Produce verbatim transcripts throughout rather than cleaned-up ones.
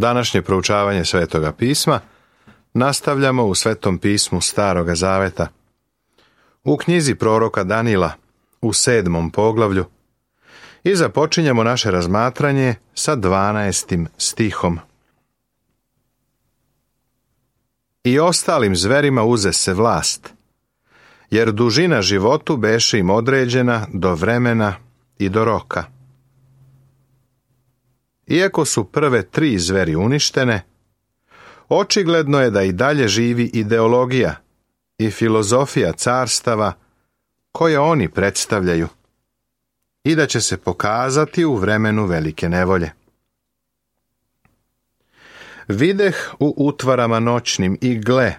Današnje proučavanje Svetoga pisma nastavljamo u Svetom pismu Staroga zaveta. U knjizi proroka Danila u sedmom poglavlju i započinjemo naše razmatranje sa dvanaestim stihom. I ostalim zverima uze se vlast, jer dužina životu beše im određena do vremena i do roka. Iako su prve tri zveri uništene, očigledno je da i dalje živi ideologija i filozofija carstava koje oni predstavljaju i da će se pokazati u vremenu velike nevolje. Videh u utvarama noćnim i gle,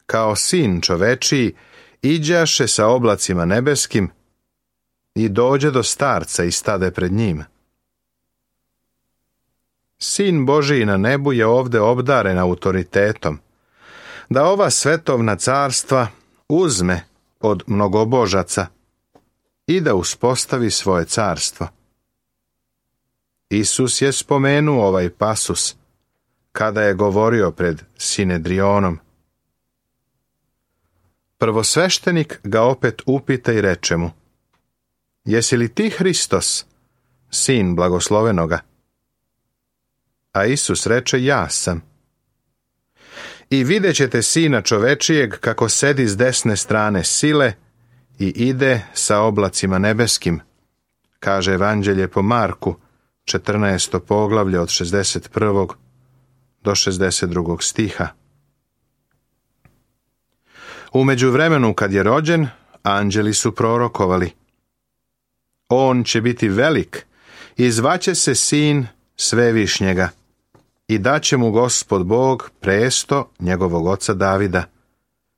kao sin čovečiji, iđaše sa oblacima nebeskim i dođe do starca i stade pred njim. Sin Božiji na nebu je ovde obdaren autoritetom, da ova svetovna carstva uzme od mnogobožaca i da uspostavi svoje carstvo. Isus je spomenuo ovaj pasus kada je govorio pred Sinedrionom. Prvosveštenik ga opet upita i reče mu: Jesi li ti Hristos, sin blagoslovenoga? A Isus reče: Ja sam. I vidjet ćete Sina čovečijeg kako sedi s desne strane sile i ide sa oblacima nebeskim, kaže Evanđelje po Marku, četrnaesto poglavlje od šezdeset prvog do šezdeset drugog stiha. U međuvremenu kad je rođen, anđeli su prorokovali: On će biti velik i zvaće se Sin Svevišnjega i daće mu Gospod Bog presto njegovog oca Davida,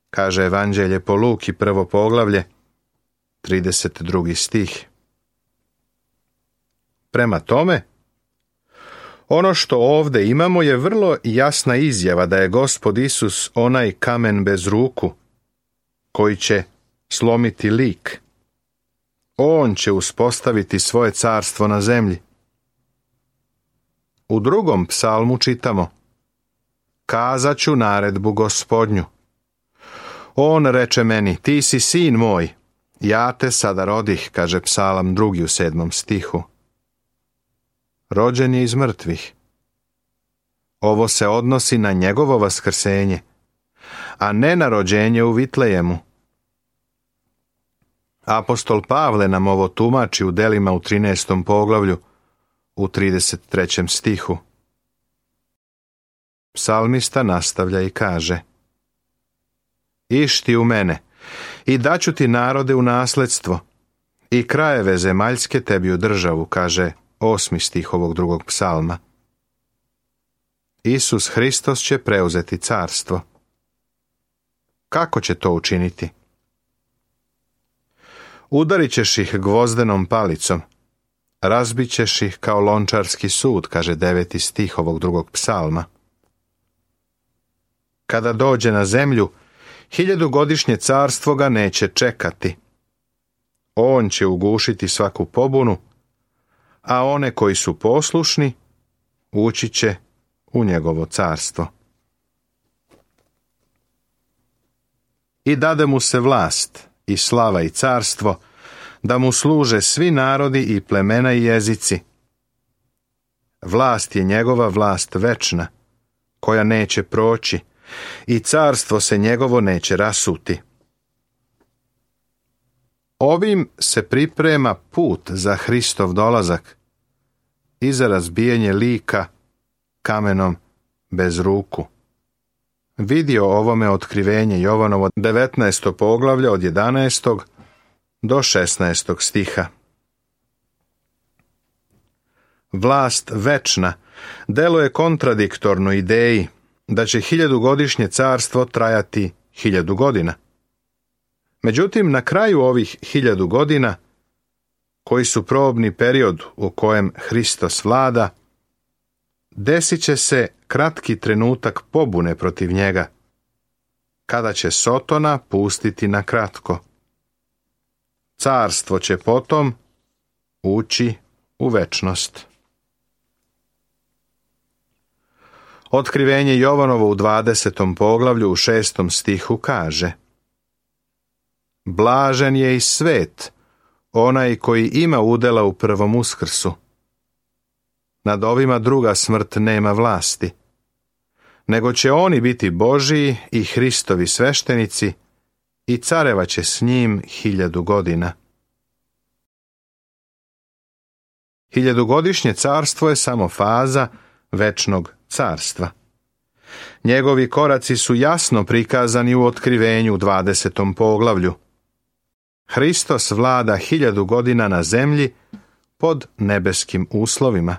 kaže Evanđelje po Luki, prvo poglavlje, trideset drugi stih. Prema tome, ono što ovde imamo je vrlo jasna izjava da je Gospod Isus onaj kamen bez ruku, koji će slomiti lik. On će uspostaviti svoje carstvo na zemlji. U drugom psalmu čitamo: Kazat ću naredbu Gospodnju. On reče meni: Ti si sin moj, ja te sada rodih, kaže psalam drugi u sedmom stihu. Rođen je iz mrtvih. Ovo se odnosi na njegovo vaskrsenje, a ne na rođenje u Vitlejemu. Apostol Pavle nam ovo tumači u delima u trinaestom poglavlju, u trideset trećem stihu. Psalmista nastavlja i kaže: Išti u mene, i daću ti narode u nasledstvo, i krajeve zemaljske tebi u državu, kaže osmi stih ovog drugog psalma. Isus Hristos će preuzeti carstvo. Kako će to učiniti? Udarit ćeš ih gvozdenom palicom, razbit ćeš ih kao lončarski sud, kaže deveti stih ovog drugog psalma. Kada dođe na zemlju, hiljadugodišnje carstvo ga neće čekati. On će ugušiti svaku pobunu, a one koji su poslušni ući će u njegovo carstvo. I dade mu se vlast i slava i carstvo, da mu služe svi narodi i plemena i jezici. Vlast je njegova vlast večna, koja neće proći, i carstvo se njegovo neće rasuti. Ovim se priprema put za Hristov dolazak i za razbijanje lika kamenom bez ruku. Vidi o ovome otkrivenje Jovanovo devetnaesto poglavlje od jedanaestog do šesnaestog stiha. Vlast večna deluje kontradiktorno ideji da će hiljadugodišnje carstvo trajati hiljadu godina. Međutim, na kraju ovih hiljadu godina, koji su probni period u kojem Hristos vlada, desit će se kratki trenutak pobune protiv njega, kada će Sotona pustiti na kratko. Carstvo će potom ući u večnost. Otkrivenje Jovanovo u dvadesetom poglavlju u šestom stihu kaže: Blažen je i svet, onaj koji ima udela u prvom uskrsu. Nad ovima druga smrt nema vlasti, nego će oni biti Božiji i Hristovi sveštenici i carevaće s njim hiljadu godina. Hiljadugodišnje carstvo je samo faza večnog carstva. Njegovi koraci su jasno prikazani u otkrivenju u dvadesetom poglavlju. Hristos vlada hiljadu godina na zemlji pod nebeskim uslovima.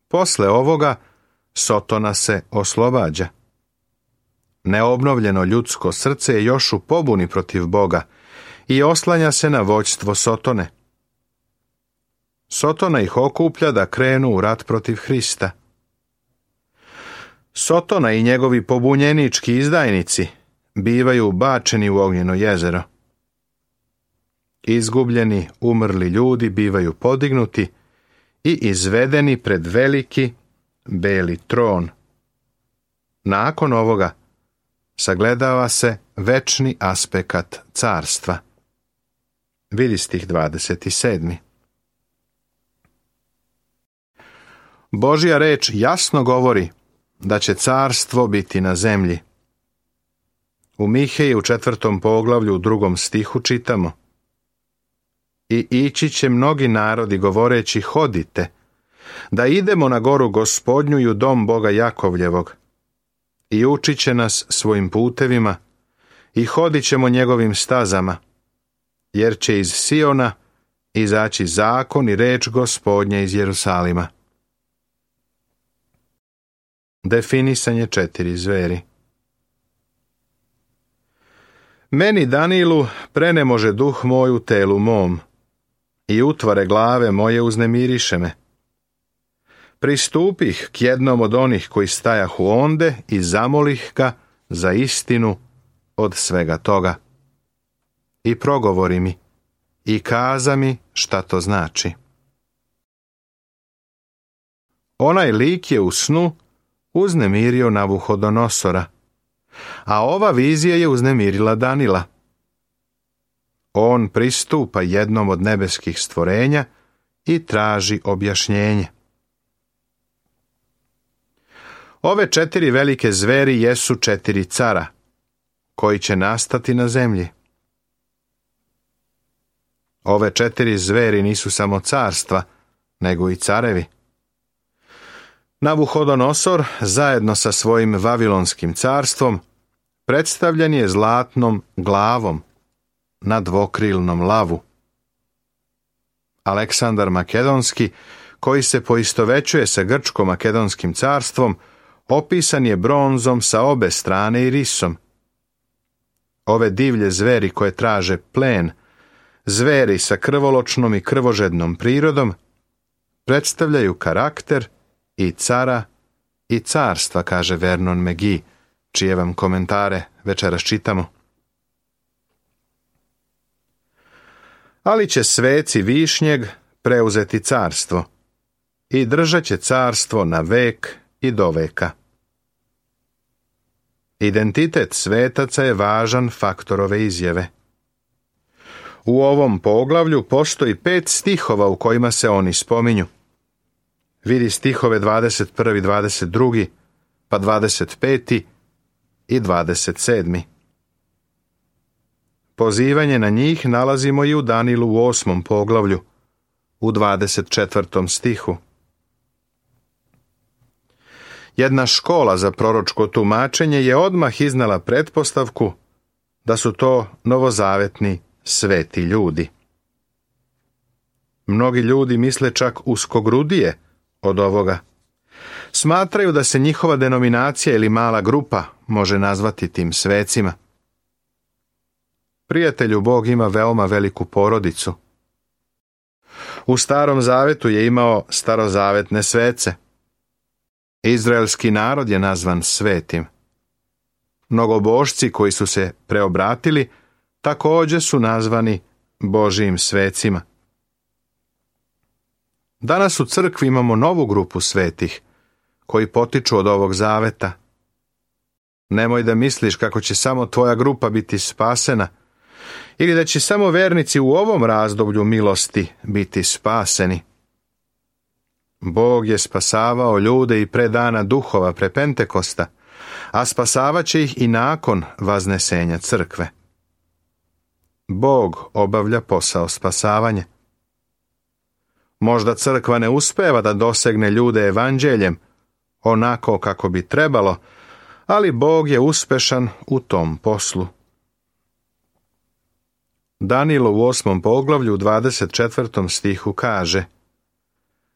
Posle ovoga Sotona se oslobađa. Neobnovljeno ljudsko srce je još u pobuni protiv Boga i oslanja se na vođstvo Sotone. Sotona ih okuplja da krenu u rat protiv Hrista. Sotona i njegovi pobunjenički izdajnici bivaju bačeni u ognjeno jezero. Izgubljeni, umrli ljudi bivaju podignuti i izvedeni pred veliki, beli tron. Nakon ovoga sagledava se večni aspekt carstva. Vidi stih dvadeset sedam. Božja reč jasno govori da će carstvo biti na zemlji. U Miheji u četvrtom poglavlju u drugom stihu čitamo: I ići će mnogi narodi govoreći hodite, da idemo na goru Gospodnju i u dom Boga Jakovljevog. I učit će nas svojim putevima i hodit ćemo njegovim stazama, jer će iz Siona izaći zakon i reč Gospodnja iz Jerusalima. Definisanje četiri zveri. Meni Danilu prene može duh moj u telu mom, i utvare glave moje uznemiriše me. Pristupih k jednom od onih koji stajahu onde i zamolih ga za istinu od svega toga. I progovori mi, i kaza mi šta to znači. Onaj lik je u snu uznemirio Navuhodonosora, a ova vizija je uznemirila Danila. On pristupa jednom od nebeskih stvorenja i traži objašnjenje. Ove četiri velike zveri jesu četiri cara, koji će nastati na zemlji. Ove četiri zveri nisu samo carstva, nego i carevi. Navuhodonosor, zajedno sa svojim Vavilonskim carstvom, predstavljen je zlatnom glavom na dvokrilnom lavu. Aleksandar Makedonski, koji se poistovećuje sa Grčko-makedonskim carstvom, opisan je bronzom sa obe strane i risom. Ove divlje zveri koje traže plen, zveri sa krvoločnom i krvožednom prirodom, predstavljaju karakter i cara i carstva, kaže Vernon McGee, čije vam komentare večeras čitamo. Ali će sveci višnjeg preuzeti carstvo i držat će carstvo na vek i do veka. Identitet svetaca je važan faktor ove izjave. U ovom poglavlju postoji pet stihova u kojima se oni spominju. Vidi stihove dvadeset prvi, dvadeset drugi, pa dvadeset peti i dvadeset sedmi. Pozivanje na njih nalazimo i u Danilu u osmom poglavlju, u dvadeset četvrtom stihu. Jedna škola za proročko tumačenje je odmah iznala pretpostavku da su to novozavetni sveti ljudi. Mnogi ljudi misle čak uskogrudije od ovoga. Smatraju da se njihova denominacija ili mala grupa može nazvati tim svecima. Prijatelju, Bog ima veoma veliku porodicu. U Starom Zavetu je imao starozavetne svece. Izraelski narod je nazvan svetim. Mnogobožci koji su se preobratili također su nazvani Božijim svecima. Danas u crkvi imamo novu grupu svetih, koji potiču od ovog zaveta. Nemoj da misliš kako će samo tvoja grupa biti spasena ili da će samo vernici u ovom razdoblju milosti biti spaseni. Bog je spasavao ljude i pre dana duhova, pre Pentekosta, a spasavat će ih i nakon vaznesenja crkve. Bog obavlja posao spasavanja. Možda crkva ne uspeva da dosegne ljude evanđeljem, onako kako bi trebalo, ali Bog je uspešan u tom poslu. Danilo u osmom poglavlju u dvadeset četvrtom stihu kaže: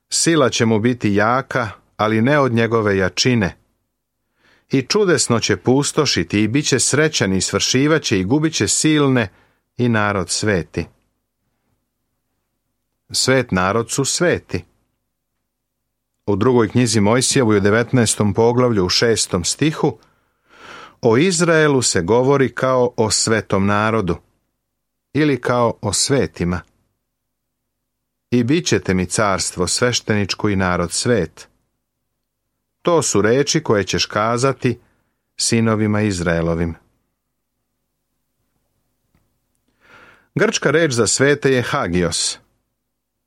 Sila će mu biti jaka, ali ne od njegove jačine. I čudesno će pustošiti i bit će srećan i svršivaće i gubit će silne i narod sveti. Svet narod su sveti. U drugoj knjizi Mojsijevoj u devetnaestom poglavlju u šestom stihu o Izraelu se govori kao o svetom narodu ili kao o svetima. I bit ćete mi carstvo svešteničko i narod svet. To su reči koje ćeš kazati sinovima Izraelovim. Grčka reč za svete je hagios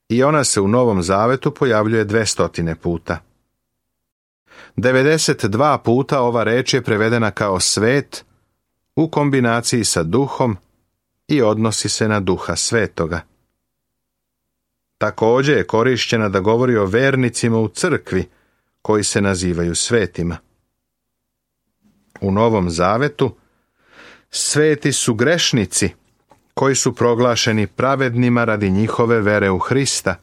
i ona se u Novom Zavetu pojavljuje dvestotine puta. devedeset dva puta ova reč je prevedena kao svet u kombinaciji sa duhom i odnosi se na duha svetoga. Također je korišćena da govori o vernicima u crkvi koji se nazivaju svetima. U Novom Zavetu sveti su grešnici koji su proglašeni pravednima radi njihove vere u Hrista.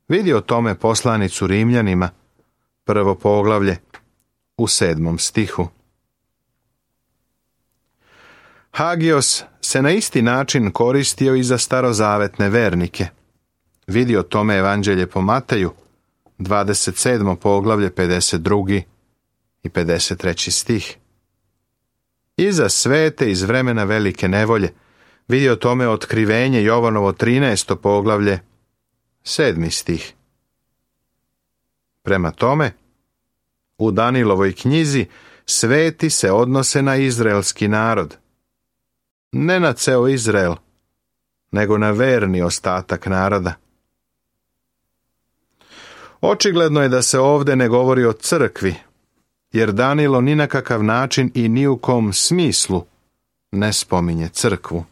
Vidi o tome poslanicu Rimljanima, prvo poglavlje, u sedmom stihu. Hagios se na isti način koristio i za starozavetne vernike. Vidi o tome Evanđelje po Mateju, dvadeset sedmo poglavlje, pedeset drugi i pedeset treći stih. I za svete iz vremena velike nevolje, vidi o tome Otkrivenje Jovanovo trinaesto poglavlje, sedmi stih. Prema tome, u Danilovoj knjizi sveti se odnose na izraelski narod. Ne na ceo Izrael, nego na verni ostatak naroda. Očigledno je da se ovdje ne govori o crkvi, jer Danilo ni na kakav način i ni u kom smislu ne spominje crkvu.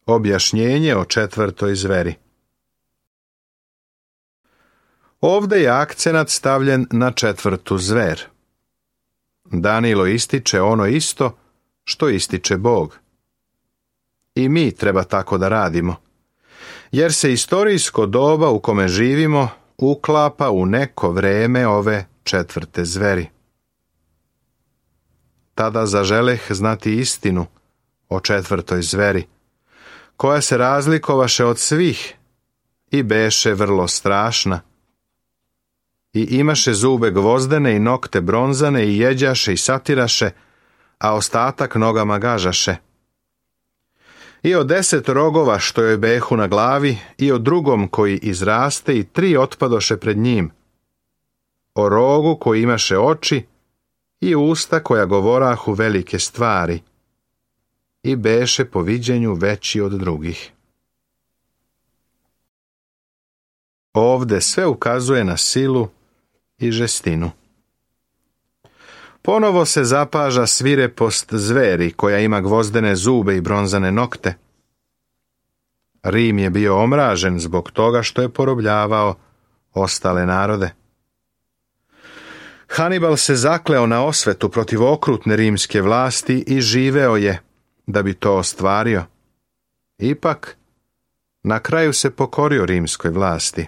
Objašnjenje o četvrtoj zveri. Ovdje je akcenat stavljen na četvrtu zver. Danilo ističe ono isto što ističe Bog. I mi treba tako da radimo, jer se istorijsko doba u kome živimo uklapa u neko vreme ove četvrte zveri. Tada zaželeh znati istinu o četvrtoj zveri, koja se razlikovaše od svih i beše vrlo strašna. I imaše zube gvozdene i nokte bronzane i jeđaše i satiraše, a ostatak nogama gažaše. I o deset rogova što joj behu na glavi i o drugom koji izraste i tri otpadoše pred njim. O rogu koji imaše oči i usta koja govorahu velike stvari. I beše po viđenju veći od drugih. Ovde sve ukazuje na silu i žestinu. Ponovo se zapaža svirepost zveri koja ima gvozdene zube i bronzane nokte. Rim je bio omražen zbog toga što je porobljavao ostale narode. Hanibal se zakleo na osvetu protiv okrutne rimske vlasti i živeo je da bi to ostvario. Ipak, na kraju se pokorio rimskoj vlasti.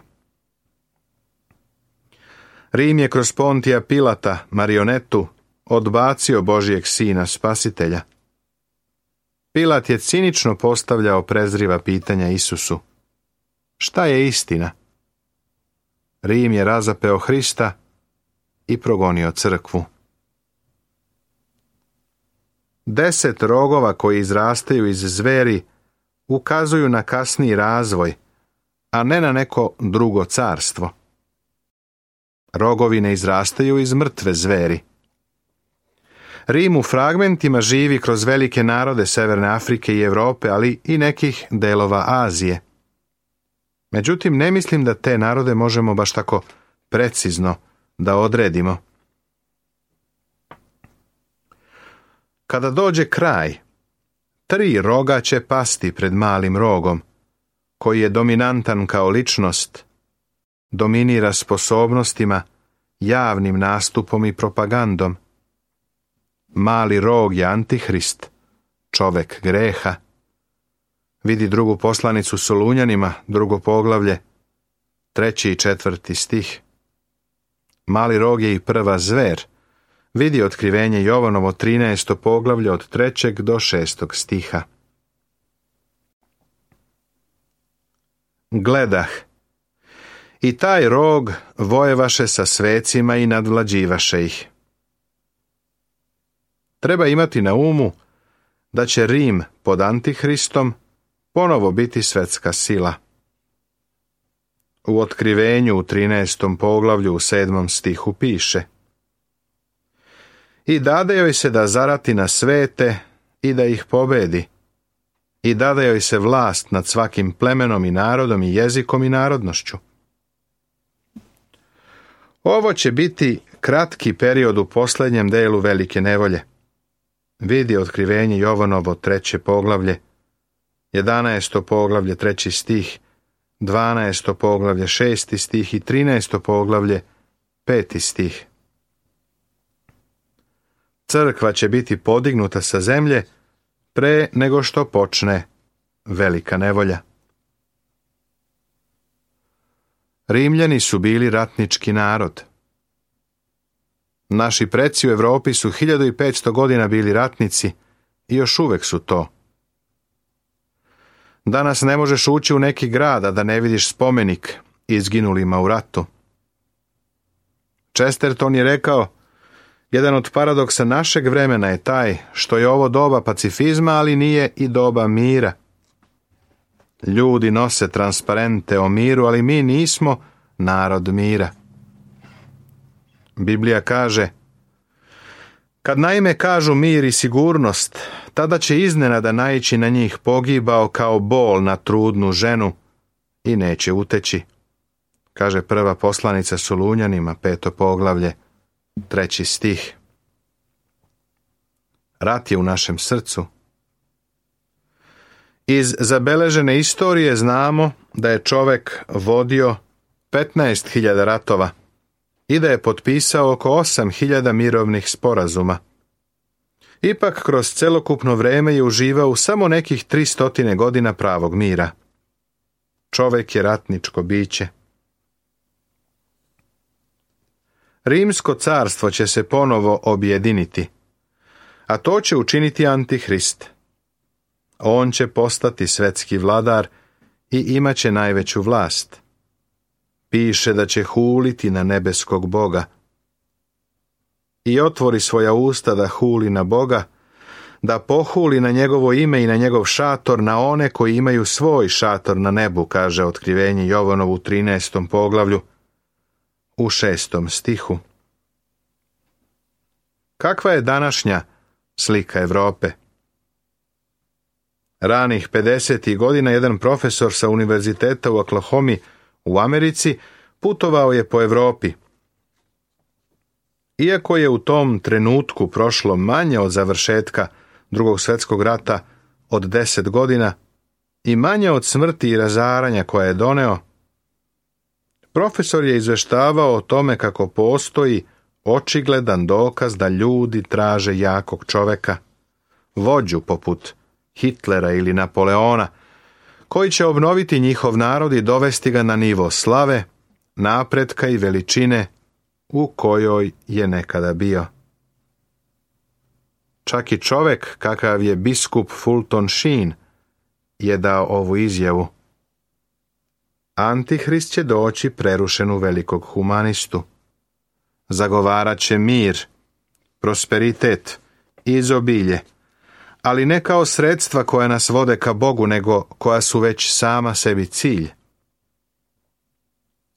Rim je kroz Pontija Pilata, marionetu, odbacio Božijeg sina spasitelja. Pilat je cinično postavljao prezriva pitanja Isusu. Šta je istina? Rim je razapeo Hrista i progonio crkvu. Deset rogova koji izrastaju iz zveri ukazuju na kasniji razvoj, a ne na neko drugo carstvo. Rogovi ne izrastaju iz mrtve zveri. Rim u fragmentima živi kroz velike narode Severne Afrike i Europe, ali i nekih delova Azije. Međutim, ne mislim da te narode možemo baš tako precizno da odredimo. Kada dođe kraj, tri roga će pasti pred malim rogom, koji je dominantan kao ličnost, dominira sposobnostima, javnim nastupom i propagandom. Mali rog je Antihrist, čovek greha. Vidi drugu poslanicu Solunjanima, drugo poglavlje, treći i četvrti stih. Mali rog je i prva zver. Vidi otkrivenje Jovanovo trinaesto poglavlje od trećeg do šestog stiha. Gledah, i taj rog vojevaše sa svecima i nadvlađivaše ih. Treba imati na umu da će Rim pod Antihristom ponovo biti svetska sila. U otkrivenju u trinaestom poglavlju u sedmom stihu piše: I dade joj se da zarati na svete i da ih pobedi, i dade joj se vlast nad svakim plemenom i narodom i jezikom i narodnošću. Ovo će biti kratki period u posljednjem delu velike nevolje. Vidi otkrivenje Jovanovo treće poglavlje, jedanaesto poglavlje treći stih, dvanaesto poglavlje šesti stih i trinaesto poglavlje peti stih. Crkva će biti podignuta sa zemlje pre nego što počne velika nevolja. Rimljani su bili ratnički narod. Naši preci u Europi su hiljadu i petsto godina bili ratnici i još uvek su to. Danas ne možeš ući u neki grad, a da ne vidiš spomenik izginulima u ratu. Chesterton je rekao: jedan od paradoksa našeg vremena je taj što je ovo doba pacifizma, ali nije i doba mira. Ljudi nose transparente o miru, ali mi nismo narod mira. Biblija kaže: kad naime kažu mir i sigurnost, tada će iznenada naići na njih pogibao kao bol na trudnu ženu i neće uteći. Kaže prva poslanica Solunjanima, peto poglavlje, treći stih. Rat je u našem srcu. Iz zabeležene istorije znamo da je čovek vodio petnaest hiljada ratova i da je potpisao oko osam hiljada mirovnih sporazuma. Ipak kroz celokupno vreme je uživao u samo nekih tristotine godina pravog mira. Čovek je ratničko biće. Rimsko carstvo će se ponovo objediniti, a to će učiniti Antihrist. On će postati svetski vladar i imaće najveću vlast. Piše da će huliti na nebeskog Boga. I otvori svoja usta da huli na Boga, da pohuli na njegovo ime i na njegov šator, na one koji imaju svoj šator na nebu, kaže otkrivenje Jovanovu trinaestom poglavlju, u šestom stihu. Kakva je današnja slika Europe? Ranih pedesetih godina jedan profesor sa univerziteta u Oklahomi u Americi putovao je po Europi. Iako je u tom trenutku prošlo manje od završetka Drugog svjetskog rata od deset godina i manje od smrti i razaranja koje je doneo, profesor je izveštavao o tome kako postoji očigledan dokaz da ljudi traže jakog čoveka, vođu poput Hitlera ili Napoleona, koji će obnoviti njihov narod i dovesti ga na nivo slave, napretka i veličine u kojoj je nekada bio. Čak i čovek kakav je biskup Fulton Sheen je dao ovu izjavu: Antihrist će doći prerušen u velikog humanistu. Zagovarat će mir, prosperitet, izobilje, ali ne kao sredstva koja nas vode ka Bogu, nego koja su već sama sebi cilj.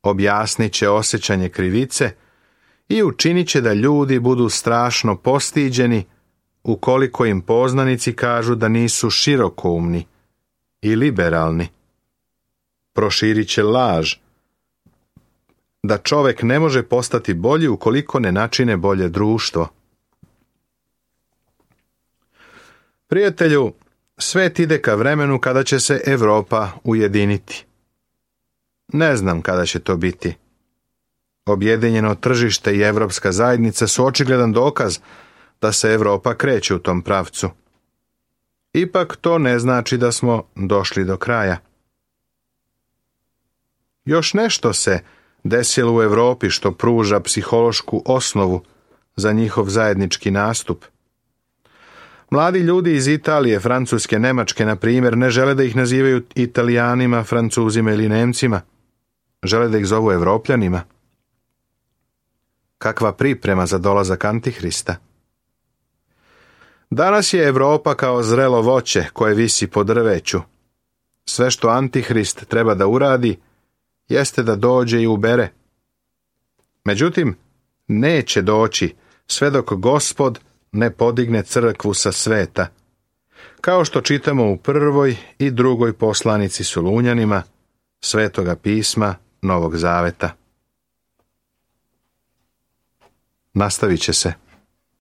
Objasnit će osjećanje krivice i učinit će da ljudi budu strašno postiđeni ukoliko im poznanici kažu da nisu širokoumni i liberalni. Proširit će laž da čovek ne može postati bolji ukoliko ne načine bolje društvo. Prijatelju, svet ide ka vremenu kada će se Evropa ujediniti. Ne znam kada će to biti. Objedinjeno tržište i Evropska zajednica su očigledan dokaz da se Evropa kreće u tom pravcu. Ipak to ne znači da smo došli do kraja. Još nešto se desilo u Evropi što pruža psihološku osnovu za njihov zajednički nastup. Mladi ljudi iz Italije, Francuske, Nemačke, na primjer, ne žele da ih nazivaju Italijanima, Francuzima ili Nemcima. Žele da ih zovu Evropljanima. Kakva priprema za dolazak Antihrista? Danas je Evropa kao zrelo voće koje visi po drveću. Sve što Antihrist treba da uradi jeste da dođe i ubere. Međutim, neće doći sve dok Gospod ne podigne crkvu sa sveta, kao što čitamo u prvoj i drugoj poslanici Solunjanima Svetoga pisma Novog Zaveta. Nastavit će se.